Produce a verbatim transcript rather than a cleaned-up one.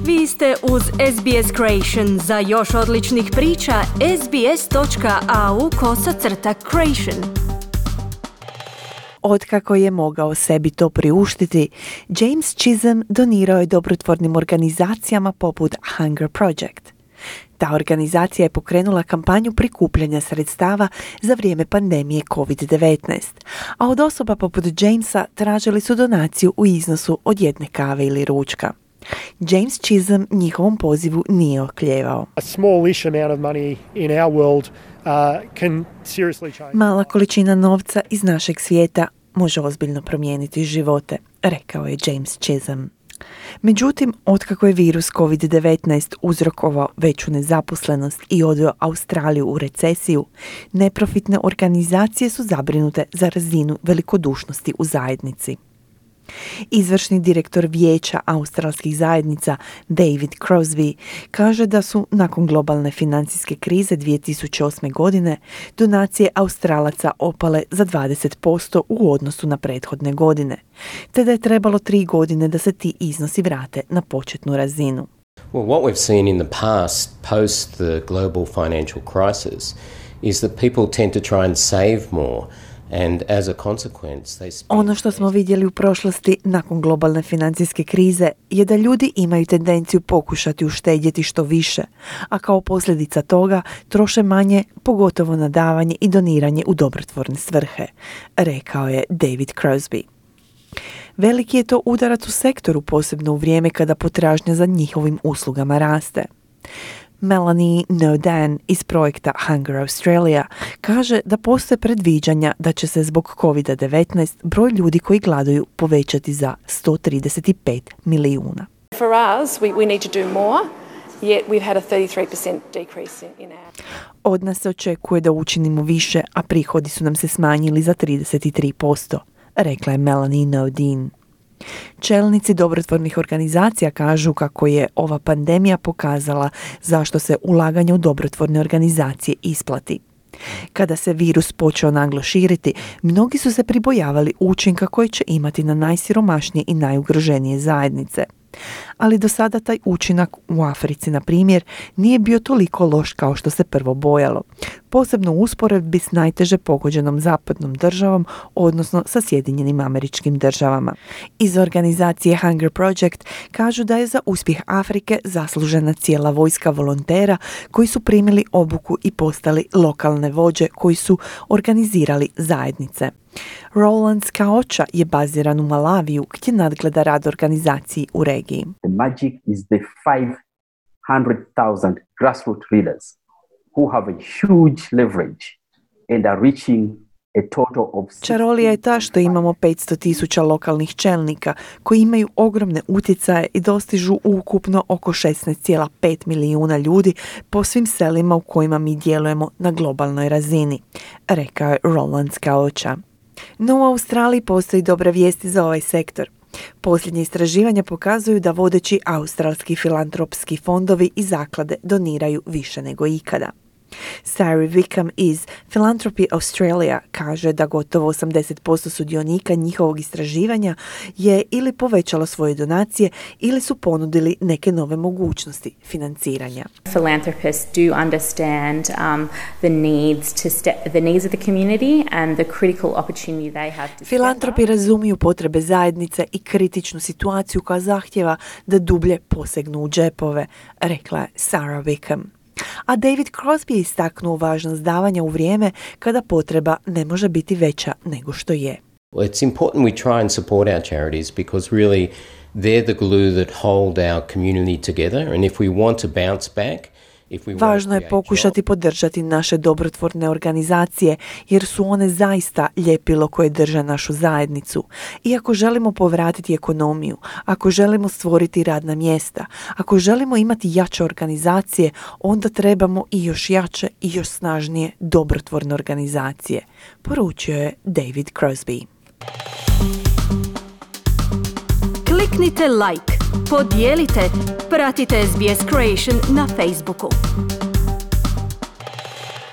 Vi ste uz S B S Creation. Za još odličnih priča, sbs.au kosacrta creation. Otkako je mogao sebi to priuštiti, James Chisholm donirao je dobrotvornim organizacijama poput Hunger Project. Ta organizacija je pokrenula kampanju prikupljanja sredstava za vrijeme pandemije covid devetnaest, a od osoba poput Jamesa tražili su donaciju u iznosu od jedne kave ili ručka. James Chisholm njihovom pozivu nije oklijevao. A smallish amount of money in our world uh, can seriously change. Mala količina novca iz našeg svijeta može ozbiljno promijeniti živote, rekao je James Chisholm. Međutim, otkako je virus covid devetnaest uzrokovao veću nezaposlenost i odveo Australiju u recesiju, neprofitne organizacije su zabrinute za razinu velikodušnosti u zajednici. Izvršni direktor Vijeća australskih zajednica David Crosby kaže da su nakon globalne financijske krize dvije tisuće osme. godine donacije Australaca opale za dvadeset posto u odnosu na prethodne godine, te da je trebalo tri godine da se ti iznosi vrate na početnu razinu. Well, what we've seen in the past, post the global financial crisis, is that people tend to try and save more. And as a consequence, they spend... Ono što smo vidjeli u prošlosti nakon globalne financijske krize je da ljudi imaju tendenciju pokušati uštedjeti što više, a kao posljedica toga troše manje, pogotovo na davanje i doniranje u dobrotvorne svrhe, rekao je David Crosby. Veliki je to udarac u sektoru, posebno u vrijeme kada potražnja za njihovim uslugama raste. Melanie Nodan iz projekta Hunger Australia kaže da postoje predviđanja da će se zbog covid devetnaest broj ljudi koji gladuju povećati za sto trideset pet milijuna. For us, we, we need to do more, yet we've had a thirty-three percent decrease in, in our... Od nas se očekuje da učinimo više, a prihodi su nam se smanjili za trideset tri posto, rekla je Melanie Nodin. Čelnici dobrotvornih organizacija kažu kako je ova pandemija pokazala zašto se ulaganje u dobrotvorne organizacije isplati. Kada se virus počeo naglo širiti, mnogi su se pribojavali učinka koji će imati na najsiromašnije i najugroženije zajednice. Ali do sada taj učinak u Africi, na primjer, nije bio toliko loš kao što se prvo bojalo, posebno u usporedbi s najteže pogođenom zapadnom državom, odnosno sa Sjedinjenim Američkim Državama. Iz organizacije Hunger Project kažu da je za uspjeh Afrike zaslužena cijela vojska volontera koji su primili obuku i postali lokalne vođe koji su organizirali zajednice. Roland Skaocha je baziran u Malaviju gdje nadgleda rad organizaciji u regiji. The magic is the five hundred thousand grassroots leaders who have a huge leverage and are reaching a total of... Čarolija je ta što imamo petsto tisuća lokalnih čelnika koji imaju ogromne utjecaje i dostižu ukupno oko šesnaest zarez pet milijuna ljudi po svim selima u kojima mi djelujemo na globalnoj razini, rekao je Roland Skaocha. No u Australiji postoji dobra vijesti za ovaj sektor. Posljednje istraživanja pokazuju da vodeći australski filantropski fondovi i zaklade doniraju više nego ikada. Sari Wickham iz Philanthropy Australia kaže da gotovo osamdeset posto sudionika njihovog istraživanja je ili povećalo svoje donacije ili su ponudili neke nove mogućnosti financiranja. Philanthropists do understand um, the needs to step, the needs of the community and the critical opportunity they have to. Filantropi razumiju potrebe zajednice i kritičnu situaciju koja zahtjeva da dublje posegnu u džepove, rekla je Sarah Wickham. A David Crosby je istaknuo važnost davanja u vrijeme kada potreba ne može biti veća nego što je. Well, it's important we try and support our charities because really they're the glue that hold our community together, and if we want to bounce back, važno je pokušati podržati naše dobrotvorne organizacije jer su one zaista ljepilo koje drže našu zajednicu. I ako želimo povratiti ekonomiju, ako želimo stvoriti radna mjesta, ako želimo imati jače organizacije, onda trebamo i još jače i još snažnije dobrotvorne organizacije, poručio je David Crosby. Kliknite like, podijelite, pratite S B S Creation na Facebooku.